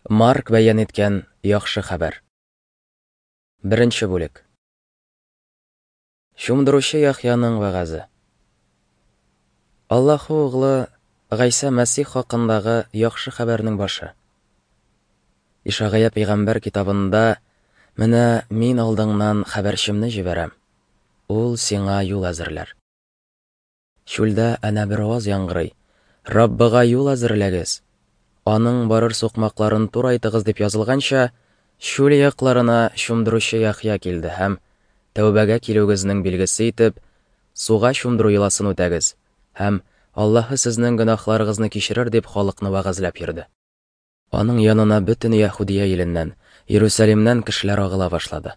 Марк бәян иткән яхшы хәбәр. Беренче бүлек. Чумдыручы Яхъяның вәгазе. Аллаһы углы Гайсә Мәсих хакындагы яхшы хәбәрнең башы. Ишагая пәйгамбәр китабында Менә мин алдыңнан хәбәрчемне җибәрәм. Ул сиңа юл әзерләр. Чүлдә әнә бер аваз яңгырый, Раббыга юл әзерләгез, Аның барыр сукмакларын турайтыгыз дип язылганча, чүл якларына чумдыручы Яхъя килде һәм, тәүбәгә килүегезнең билгесе итеп, суга чумдыру йоласын үтәгез һәм Аллаһы сезнең гөнаһларыгызны кичерер дип халыкны вәгазьләп йөрде. Аның янына бөтен Яһүдия иленнән, Иерусалимнән кешеләр агыла башлады.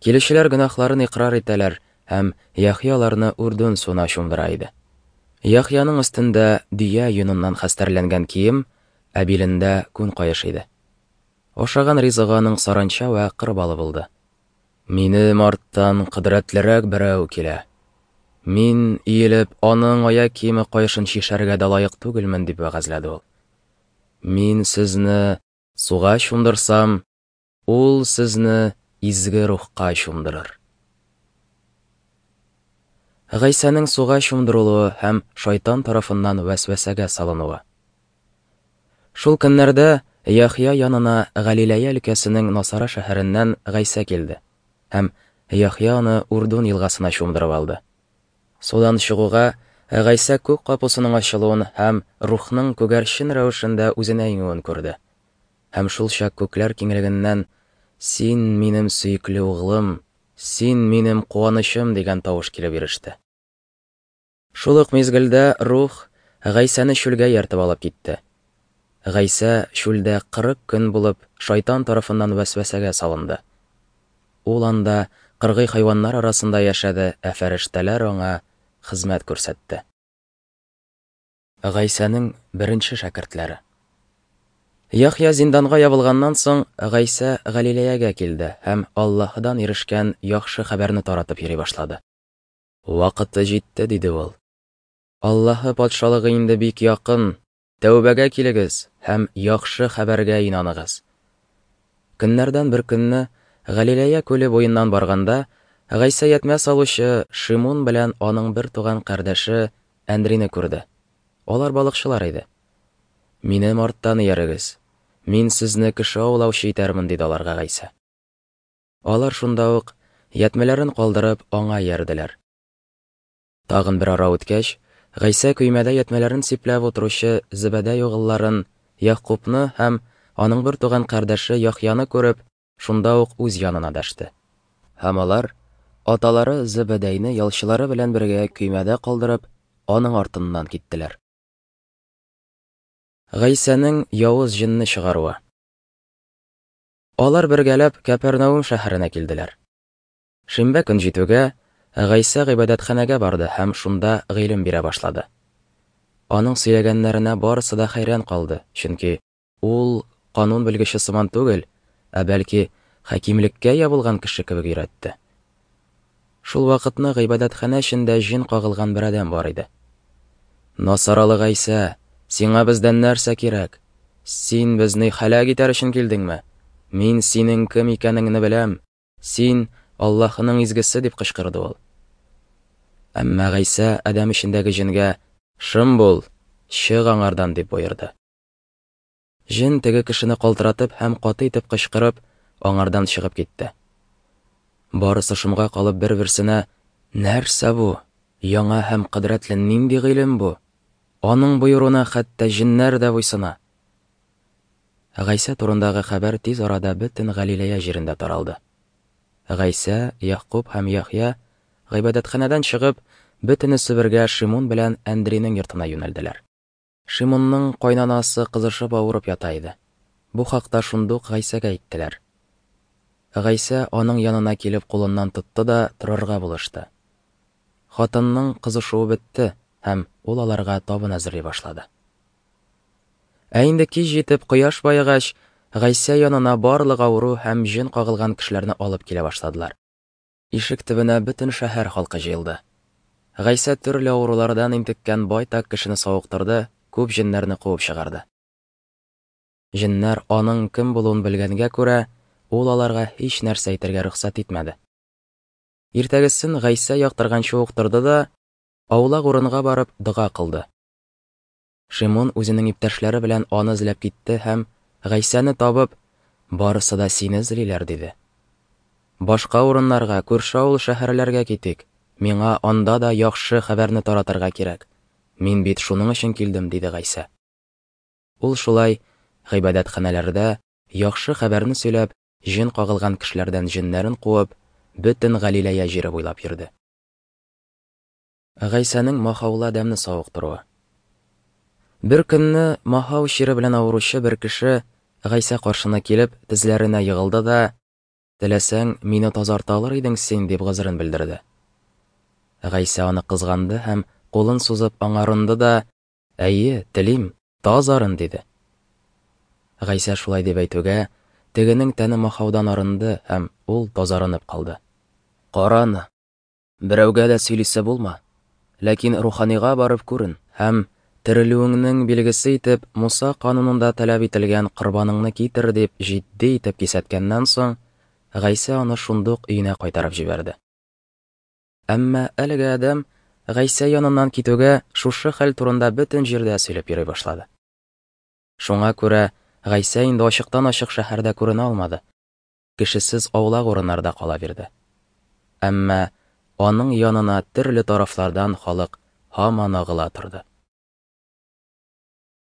Килүчеләр гөнаһларын икърар итәләр һәм Яхъя аларны Үрдүн суына чумдыра иде. Яхъяның өстендә дөя йоныннан хәстәрләнгән кием, ә билендә күн каеш иде. Ашаган ризыгы аның саранча вә кыр балы булды. Минем арттан кодрәтлерәк берәү килә. Мин, иелеп, аның аяк киеме каешын чишәргә дә лаек түгелмен, дип вәгазьләде ул. Мин сезне суга чумдырсам, ул сезне изге рухка чумдырыр. Гайсәнең суга чумдырылуы һәм шайтан тарафыннан вәсвәсәгә салынуы. Шул көннәрдә Яхъя янына Галиләя өлкәсенең Насара шәһәреннән Гайсә килде, һәм Яхъя аны Урдун елгасына чумдырып алды. Судан чыгуга, Гайсә күк капусының ачылуын һәм Рухның күгәрчен рәвешендә үзенә иңүен күрде. Һәм шул чак күкләр киңлегеннән, Син минем сөекле углым, син минем куанычым дигән тавыш килеп иреште. Шул ук мизгелдә Рух Гайсәне чүлгә ияртеп алып китте. Гайсә чүлдә 40 көн булып шайтан тарафыннан вәсвәсәгә салынды. Ул анда кыргый хайваннар арасында яшәде, ә фәрештәләр аңа хезмәт күрсәтте. Гайсәнең беренче шәкертләре. Яхъя зинданга ябылганнан соң, Гайсә Галиләягә килде һәм Аллаһыдан ирешкән яхшы хәбәрне таратып йөри башлады. Вакыты җитте, диде ул. Аллаһы патшалыгы инде бик якын, Тәүбәгә килегез һәм яхшы хәбәргә инаныгыз. Көннәрдән бер көнне Галиләя күле буеннан барганда, Гайсә ятмә салучы Шимун белән аның бер туган кардәше Әндрине күрде. Алар балыкчылар иде. Минем арттан иярегез. Мин сезне кеше аулаучы итәрмен, диде аларга Гайсә. Алар шунда ук, ятмәләрен калдырып, аңа иярделәр. Тагын бер ара үткәч, Гайсә көймәдә ятмәләрен сипләп утыручы Зебәдәй угылларын Ягъкубны һәм аның бер туган кардәше Яхъяны күреп, шунда ук үз янына дәште. Һәм алар, аталары Зебәдәйне ялчылары белән бергә көймәдә калдырып, аның артыннан киттеләр. Гайсәнең явыз җенне чыгаруы. Алар бергәләп Кәпәрнаум шәһәренә килделәр. Шимбә көн җитүгә, Гайсә гыйбадәтханәгә барды һәм шунда гыйлем бирә башлады. Аның сөйләгәннәренә барысы да хәйран калды, чөнки ул канун белгече сыман түгел, ә бәлки хакимлеккә ия булган кеше кебек өйрәтте. Шул вакытны гыйбадәтханә эчендә җен кагылган бер адәм бар иде. Насаралы Гайсә, сиңа бездән нәрсә кирәк? Син безне һәлак итәр өчен килдеңме? Мин синең кем икәнеңне беләм. Син, Аллаһының изгесе, дип кычкырды ул. Әмма Гайсә адәм эчендәге җенгә, Шым бул, чык аңардан, дип боерды. Җен теге кешене калтыратып һәм каты итеп кычкырып, аңардан чыгып китте. Барысы шомга калып бер-берсенә, Нәрсә бу? Яңа һәм кодрәтле нинди гыйлем бу? Аның боеруына хәтта җеннәр дә буйсына. Гайсә турындагы хәбәр тиз арада бөтен Галиләя җирендә таралды. Гайсә, Ягъкуб һәм Яхъя, гыйбадәтханәдән чыгып, бөтенесе бергә Шимун белән Әндринең йортына юнәлделәр. Шимунның кайнанасы кызышып авырып ята иде. Бу хакта шундук Гайсәгә әйттеләр. Гайсә аның янына килеп кулыннан тотты да торырга булышты. Хатынның кызышуы бетте, һәм ул аларга табын әзерли башлады. Ә инде кич җитеп, кояш баегач, Гайсә янына барлык авыру һәм җен кагылган кешеләрне алып килә башладылар. Ишек төбенә бөтен шәһәр халкы җыелды. Гайсә төрле авырулардан интеккән байтак кешене савыктырды, күп җеннәрне куып чыгарды. Җеннәр аның кем булуын белгәнгә күрә, ул аларга һич нәрсә әйтергә рөхсәт итмәде. Иртәгесен Гайсә яктырганчы ук торды да, аулак урынга барып, дога кылды. Шимун үзенең иптәшләре белән аны эзләп китте һәм, Гайсәне табып, Барысы да сине эзлиләр, диде. Башка урыннарга, күрше авыл-шәһәрләргә китик. Миңа анда да яхшы хәбәрне таратырга кирәк. Мин бит шуның өчен килдем, диде Гайсә. Ул шулай гыйбадәтханәләрдә яхшы хәбәрне сөйләп, җен кагылган кешеләрдән җеннәрен куып, бөтен Галиләя җире буйлап йөрде. Гайсәнең махаулы адәмне савыктыруы. Бер көнне махау чире белән авыручы бер кеше Гайсә каршына килеп, тезләренә егылды да, Теләсәң, мине тазарта алыр идең син, дип гозерен белдерде. Гайсә аны кызганды һәм, кулын сузып, аңа орынды да, Әйе, телим, тазарын, диде. Гайсә шулай дип әйтүгә, тегенең тәне махаудан арынды һәм ул тазарынып калды. Кара аны, берәүгә дә сөйлисе булма, ләкин руханига барып күрен һәм, терелүеңнең билгесе итеп, Муса канунында таләп ителгән корбаныңны китер, дип җитди итеп кисәткәннән соң, Гайсә аны шундук өенә кайтарып җибәрде. Әмма әлеге адәм, Гайсә яныннан китүгә, шушы хәл турында бөтен җирдә сөйләп йөри башлады. Шуңа күрә Гайсә инде ачыктан-ачык шәһәрдә күренә алмады, кешесез аулак урыннарда кала бирде. Әмма аның янына төрле тарафлардан халык һаман агыла торды.